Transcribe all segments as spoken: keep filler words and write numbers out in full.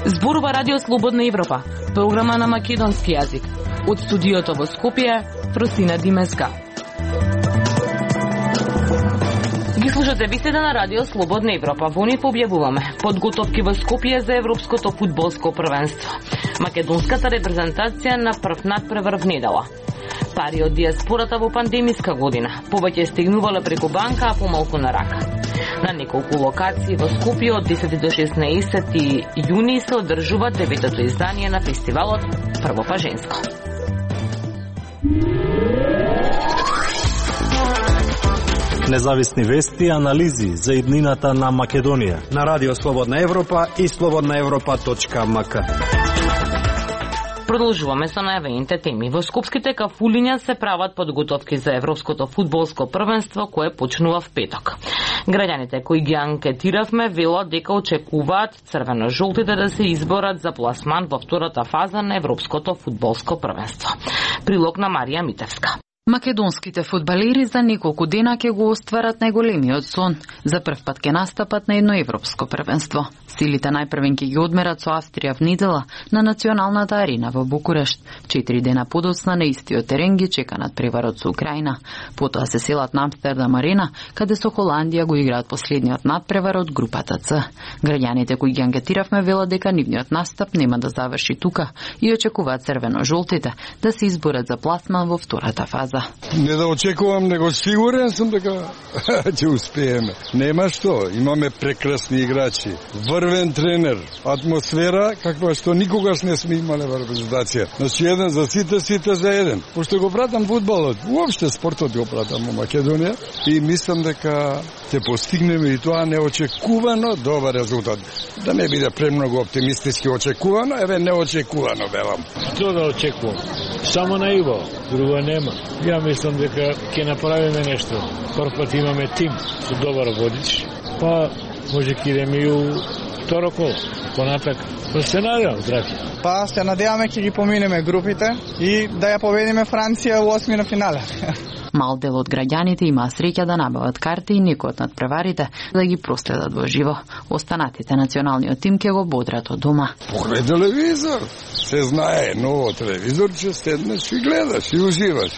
Зборува Радио Слободна Европа, програма на македонски јазик. Од студиото во Скопје, Фросина Димеска. Ги слушате беседа на Радио Слободна Европа. Во нив објавуваме подготовки во Скопје за Европското фудбалско првенство. Македонската репрезентација на прв надпревар недела. Пари од диаспората во пандемиска година. Повеќе стигнувале преку банка, а помалку на рака. На неколку локации во Скопје од десети до шеснаесети јуни се одржува деветото издание на фестивалот Прво па женско. Независни вести и анализи за иднината на Македонија на Радио Слободна Европа и слободна европа точка ем ка. Продолжуваме со најавените теми. Во скопските кафулиња се прават подготовки за Европското фудбалско првенство кое почнува в петок. Граѓаните кои ги анкетиравме велат дека очекуваат црвено-жолтите да се изборат за пласман во втората фаза на Европското фудбалско првенство. Прилог на Марија Митевска. Македонските фудбалери за неколку дена ќе го остварат најголемиот сон. За прв пат ќе настапат на едно европско првенство. Силите најпрвен ќе ги одмерат со Австрија в недела на националната арена во Букурешт. Четири дена подоцна на истиот терен ги чека надпреварот со Украина. Потоа се селат на Амстердам арена, каде со Холандија го играат последниот надпревар од групата Ц. Граѓаните кои ги анкетиравме велат дека нивниот настап нема да заврши тука и очекуваат црвено-жолтите да се изборат за пласман во втората фаза. Не да очекувам, него сигурен сум дека ќе успееме. Нема што, имаме прекрасни играчи, врвен тренер, атмосфера каква што никогаш не сме имале во репрезентација. Значи еден за сите, сите за еден. Пошто го пратам фудбалот, уопште спортот го пратам во Македонија и мислам дека ќе постигнеме и тоа неочекувано добар резултат. Да не биде премногу оптимистички очекувано, еве неочекувано велам. Што да очекувам? Само наиво, друго нема. Ја мислам дека ќе направиме нешто. Прв пат имаме тим со добар водич, па може ќе идеме и у второ коло, понатак. Па се надевам, драги. Па се надеваме ќе ги поминеме групите и да ја победиме Франција во осми на финале. Мал дел од граѓаните има среќа да набават карти и некои од надпреварите да ги проследат во живо. Останатите националниот тим ќе го бодрат од дома. Погледај телевизор, се знае, ново телевизор, че седнеш и гледаш и уживаш.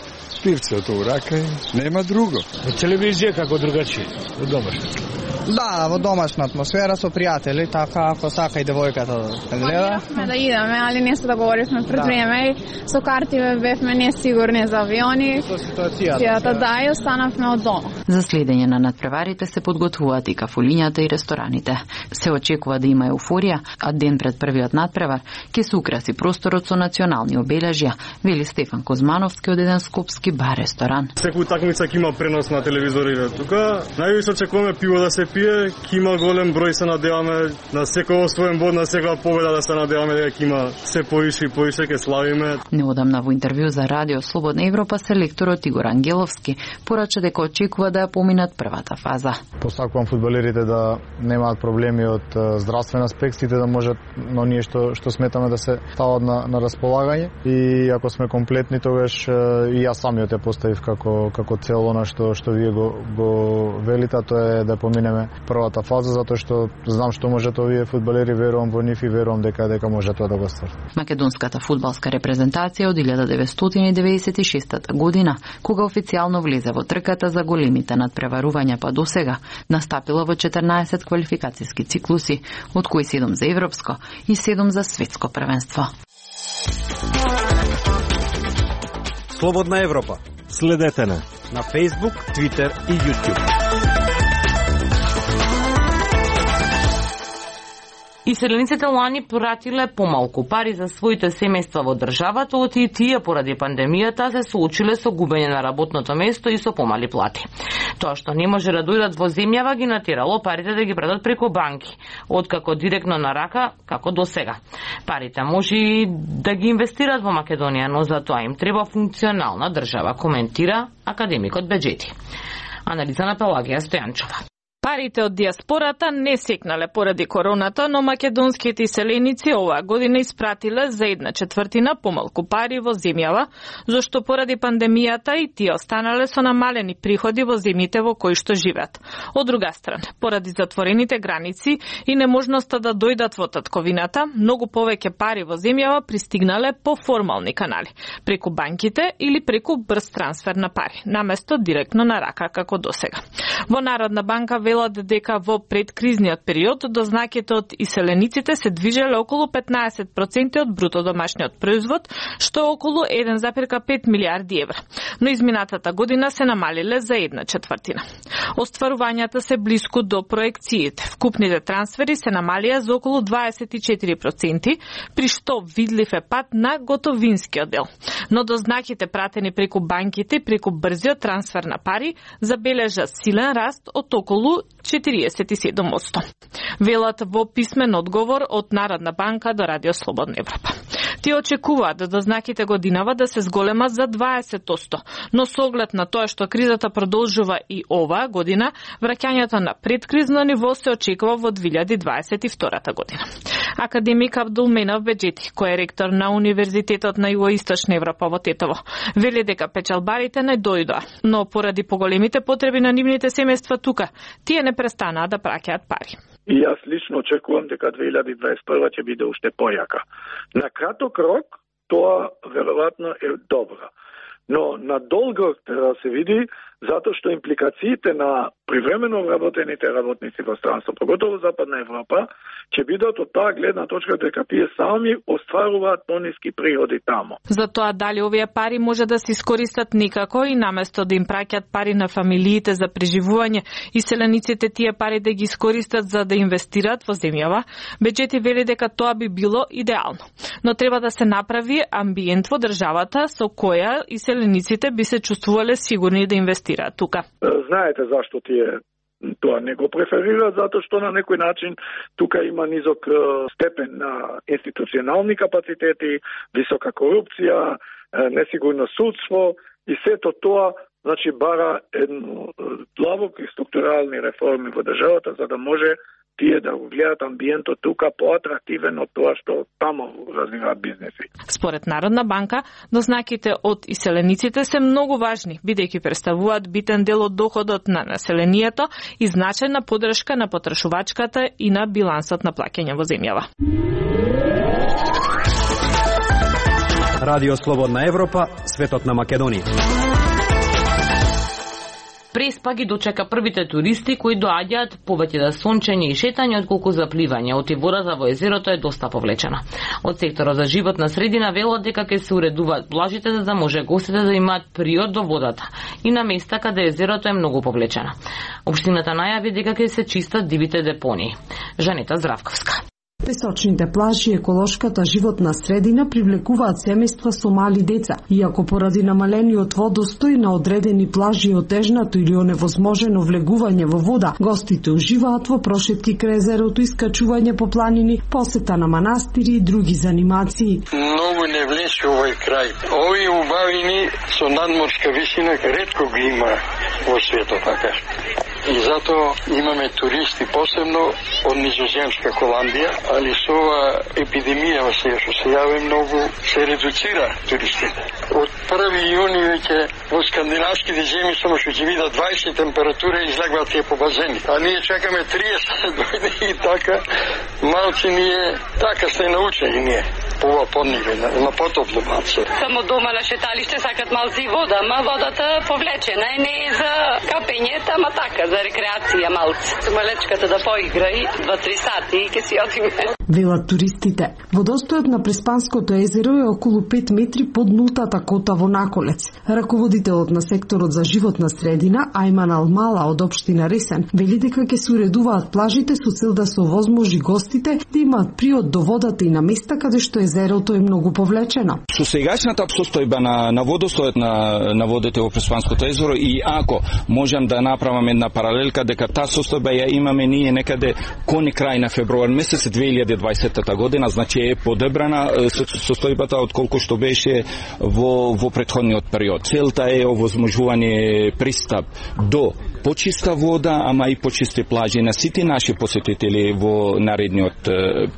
Пивцето у рака и нема друго. Во телевизија како другачи, во домашна. Да, во домашна атмосфера со пријатели, така ако сака и девојката да гледа. Планираме да идеме, али не се договоривме пред да. време. Со карти бевме несигурни за авиони. Со ситуацијата. Да, и останавме од дома. За следење на надпреварите се подготвуваат и кафулињата и рестораните. Се очекува да има еуфорија, а ден пред првиот надпревар ќе се украси просторот со национални обележја, вели Стефан Козмановски од еден скопски бар-ресторан. Секој такмица ќе има пренос на телевизорите. Тука највише очекуваме пиво да се пие, ќе има голем број, се надеваме на секој освоен bod, на секоја победа да се надеваме дека ќе има се поише и поише, ќе славиме. Неодамна во интервју за Радио Слободна Европа селекторот Игор Ангеловски порача дека очекува да ја поминат првата фаза. Посакувам фудбалерите да немаат проблеми од здравствен аспект, сите да можат, но ние што што сметаме да се стават на на располагање и ако сме комплетни тогаш и јас самиот ја поставив како како цел она што што вие го го велите, тоа е да поминеме првата фаза, затоа што знам што можат овие фудбалери, верувам во нив и верувам дека дека може тоа да го стварат. Македонската фудбалска репрезентација од илјада деветстотини деветдесет и шеста година, кога официјално влезе во трката за големите надпреварувања па досега, настапила во четрнаесет квалификацијски циклуси, од кои седум за европско и седум за светско првенство. Слободна Европа. Следете на на Facebook, Twitter и YouTube. Иселениците лани пратиле помалку пари за своите семејства во државата, оти и тие поради пандемијата се соочиле со губење на работното место и со помали плати. Тоа што не може да дојдат во земјава ги натерало парите да ги предат преку банки, откако директно на рака, како до сега. Парите може и да ги инвестират во Македонија, но за тоа им треба функционална држава, коментира академикот Беџети. Анализа на Пелагија Стојанчова. Парите од диаспората не секнале поради короната, но македонските иселеници оваа година испратиле за една четвртина помалку пари во земјава, зашто поради пандемијата и тие останале со намалени приходи во земјите во кои што живеат. Од друга страна, поради затворените граници и неможноста да дојдат во татковината, многу повеќе пари во земјава пристигнале по формални канали, преку банките или преку брз трансфер на пари, наместо директно на рака како досега. Во Народна банка велат дека во предкризниот период дознаките од иселениците се движеле околу петнаесет проценти од бруто домашниот производ, што е околу еден зарез пет милијарди евра. Но изминатата година се намалиле за една четвртина. Остварувањата се блиску до проекциите. Вкупните трансфери се намалија за околу дваесет и четири проценти, при што видлив е пат на готовинскиот дел. Но дознаките пратени преку банките и преку брзиот трансфер на пари забележа силен раст од околу четириесет и седум одсто. Велат во писмен одговор од Народна банка до Радио Слободна Европа. Тие очекуваат да дознаките годинава да се зголемат за дваесет одсто, но со оглед на тоа што кризата продолжува и оваа година, враќањето на предкризно ниво се очекува во две илјади дваесет и втора година. Академик Абдулменов Беџети, кој е ректор на Универзитетот на Југоисточна Европа во Тетово, вели дека печалбарите не дојдоа, но поради поголемите потреби на нивните семејства тука, тие не престанаа да праќаат пари. И јас лично очекувам дека две илјади дваесет и прва ќе биде уште појака. На краток рок тоа веројатно е добро, но на долг рок треба да се види, затоа што импликациите на привремено вработените работници во странство, поготово Западна Европа, ќе бидат од таа гледна точка дека тие сами остваруваат пониски приходи тамо. Затоа дали овие пари може да се искористат никако и наместо да им праќаат пари на фамилиите за преживување, иселениците тие пари да ги искористат за да инвестираат во земјава, Беџети вели дека тоа би било идеално. Но треба да се направи амбиент во државата со која иселениците би се чувствувале сигурни да инвестираат тука. Знаете зашто тие тоа не го преферираат, затоа што на некој начин тука има низок степен на институционални капацитети, висока корупција, несигурно судство и сето тоа, значи бара едно длабоки структурални реформи во државата за да може тие да го гледат амбиентот тука поатрактивен од тоа што тамо развиваат бизнеси. Според Народна банка, дознаките од иселениците се многу важни, бидејќи представуваат битен дел од доходот на населението и значајна поддршка на потрошувачката и на билансот на плаќање во земјава. Радио Слободна Европа, светот на Македонија. Преспа ги дочека првите туристи кои доаѓаат повеќе за сончење и шетање отколку за пливање. Отивората во езерото е доста повлечена. Од секторот за животна средина велат дека ќе се уредуваат плажите за да може гостите да имаат приод до водата и на места каде езерото е многу повлечено. Општината најави дека ќе се чистат дивите депонии. Жанета Здравковска. Песочните плажи и еколошката животна средина привлекуваат семејства со мали деца, иако поради намалениот водостој на одредени плажи и отежнато или оневозможено влегување во вода, гостите уживаат во прошетки крај езерото, искачување по планини, посета на манастири и други занимации. Многу не влече овој крај. Овие убавини со надморска висина ретко ги има во светот, така. И затоа имаме туристи посебно од низоземска Холандија, али со ова епидемија сега што се јави многу се редуцира туристите. Од први јуни веќе во скандинавските земји само што ќе видат дваесет температура излегуваат тие по базени. А ние чекаме триесет да дојде и така малци ние така сте научени ние. По ова подниве, на потопло малце. Само дома на шеталиште сакат малци вода, ма водата повлечена е не е за капење, ама така за рекреација малце. Малечката да поигра и два-три сати и ќе си одиме. Велат туристите. Водостојот на Преспанското езеро е околу пет метри под нултата кота во Наколец. Раководителот на секторот за животна средина, Ајман Алмала од општина Ресен, вели дека ќе се уредуваат плажите со цел да се овозможи гостите да имаат приод до водата и на места каде што езерото е многу повлечено. Со сегашната состојба на, на водостојот на, на водите во Преспанското езеро и ако можам да направам една паралелка дека таа состојба ја имаме ние некаде кон крај на февруар месец две илјади дваесета година, значи е подобрана состојбата од колку што беше во во претходниот период. Целта е овозможување пристап до почиста вода, ама и почисти плажи на сите наши посетители во наредниот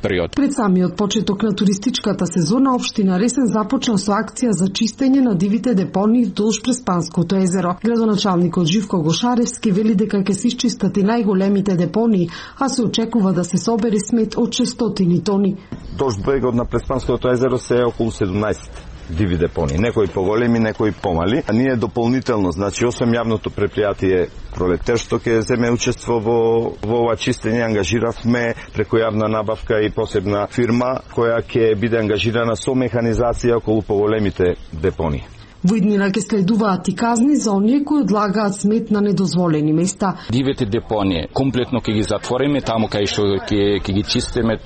период. Пред самиот почеток на туристичката сезона, општина Ресен започна со акција за чистење на дивите депонии вдолж Преспанското езеро. Градоначалникот Живко Гошаревски вели дека ќе се исчистат и најголемите депонии, а се очекува да се собере смет од шестстотини тони. Долж брегот на Преспанското езеро се е околу седумнаесет диви депони, некои поголеми, некои помали. А ние дополнително, значи освен јавното предпријатие Пролетер што ќе земе учество во во ова чистење, ангажиравме преку јавна набавка и посебна фирма која ќе биде ангажирана со механизација околу поголемите депони. Во иднина ќе следуваат и казни за оние кои одлагаат смет на недозволени места. Дивите депонии комплетно ќе ги затвориме, таму кај што ќе ќе ги чистиме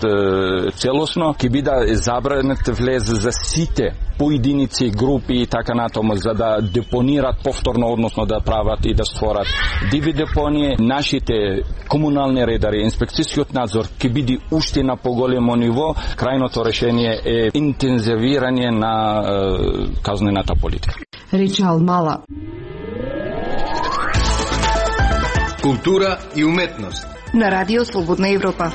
целосно, ќе биде забранет влез за сите поединици, групи и така натаму, за да депонират повторно, односно да прават и да створат диви депонии. Нашите комунални редари, инспекцијскиот надзор ќе биде уште на поголемо ниво. Крајното решение е интензивирање на е, казнената политика. Рече Алмала. Култура и уметност на Радио Слободна Европа.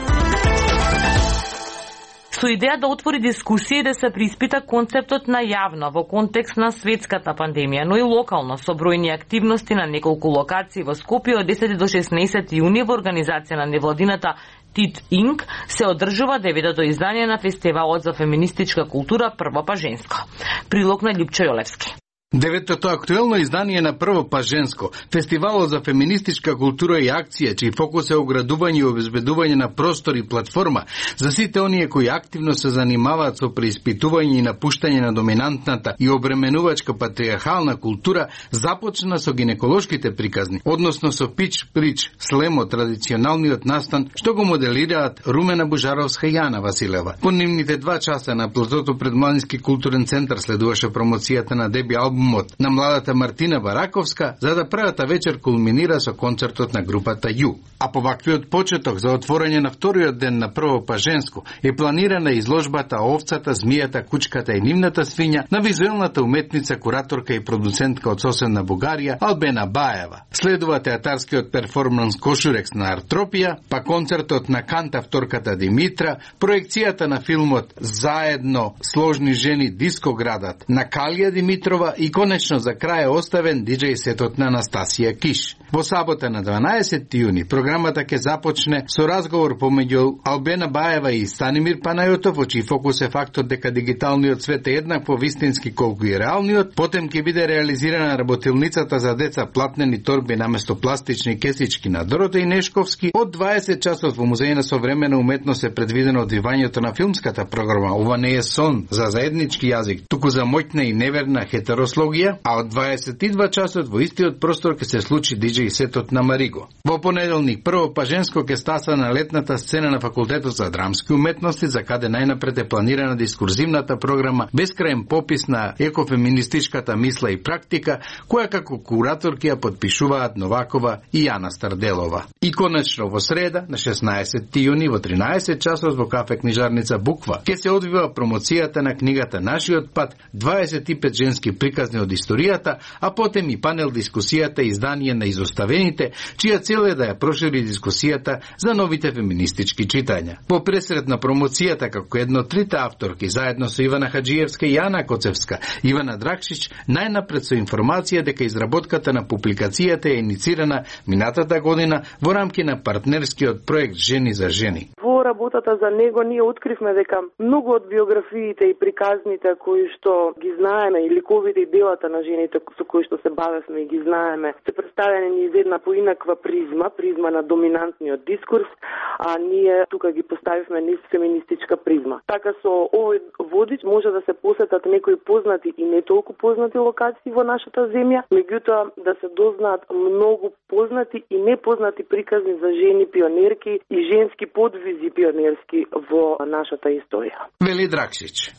Со идеја да отвори дискусија и да се приспита концептот на јавно во контекст на светската пандемија, но и локално со бројни активности на неколку локации во Скопје од десети до шеснаесети јуни во организација на невладината Тит Инк се одржува деветото издание на фестивалот за феминистичка култура Прво па женско. Прилог на Љупчо Јолевски. Деветото актуелно издание на Прво па женско, фестивалот за феминистичка култура и акција, чиј фокус е оградување и обезбедување на простор и платформа за сите оние кои активно се занимаваат со преиспитување и напуштање на доминантната и обременувачка патриархална култура, започна со гинеколошките приказни, односно со пич прич, слемо, традиционалниот настан, што го моделираат Румена Бужаровска и Јана Василева. По нивните два часа на платото пред Младински културен центар следуваше промоцијата на деби албум на младата Мартина Бараковска, за да првата вечер кулминира со концертот на групата Ю. А по ваквиот почеток за отворање на вториот ден на Прво па женско е планирана изложбата Овцата, змијата, кучката и нивната свиња на визуелната уметница, кураторка и продуцентка од соседна Бугарија Албена Баева. Следува театарскиот перформанс Кошурекс на Артропија, па концертот на кантавторката Димитра, проекцијата на филмот Заедно сложни жени дискоградат на Калија Димитрова и конечно за крај е оставен диџеј сетот на Анастасија Киш. Во сабота на дванаесети јуни програмата ќе започне со разговор помеѓу Албена Баева и Станимир Панајотов, во чиј фокус е фактот дека дигиталниот свет е еднакво вистински колку и реалниот. Потем ќе биде реализирана работилницата за деца платнени торби наместо пластични кесички на Доротеј Нешковски. Од дваесет часот во Музеј на современа уметност е предвидено одвивањето на филмската програма. Ова не е сон за заеднички јазик, туку за моќна и неверна хетерослогија, а од дваесет и два часот во истиот простор ќе се случи диџеј сетот на Мариго. Во понеделник Прво па женско ќе стаса на летната сцена на Факултетот за драмски уметности, за каде најнапред е планирана дискурзивната програма Бескраен попис на екофеминистичката мисла и практика, која како кураторки ја подпишуваат Новакова и Јана Старделова. И конечно во среда на шеснаесети јуни во тринаесет часот во кафе книжарница Буква ќе се одвива промоцијата на книгата Нашиот пат, дваесет и пет женски приказни од историјата, а потем и панел дискусијата и издание на Изоставените, чија цел е да ја прошири дискусијата за новите феминистички читања. По пресред на промоцијата како едно од трите авторки, заедно со Ивана Хаджиевска и Јана Коцевска, Ивана Дракшич најнапред со информација дека изработката на публикацијата е иницирана минатата година во рамки на партнерскиот проект Жени за жени. Во работата за него ние откривме дека многу од биографиите и приказните кои што ги знаеме и ликовите и делата на жените со кои што се бавевме и ги знаеме, се представени низ една поинаква призма, призма на доминантниот дискурс, а ние тука ги поставивме низ феминистичка призма. Така со овој водич може да се посетат некои познати и не толку познати локации во нашата земја, меѓутоа да се дознаат многу познати и непознати приказни за жени пионерки и женски подвизи пионерски во нашата историја. Вели Дракшич.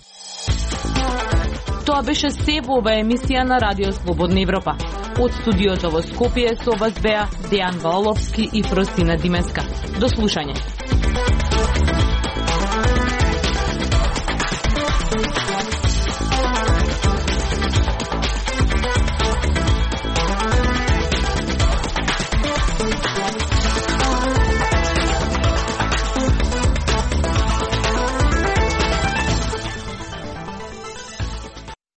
Тоа беше се во оваа емисија на Радио Слободна Европа. Од студиото во Скопје со вас беа Дејан Валовски и Фростина Димеска. До слушање.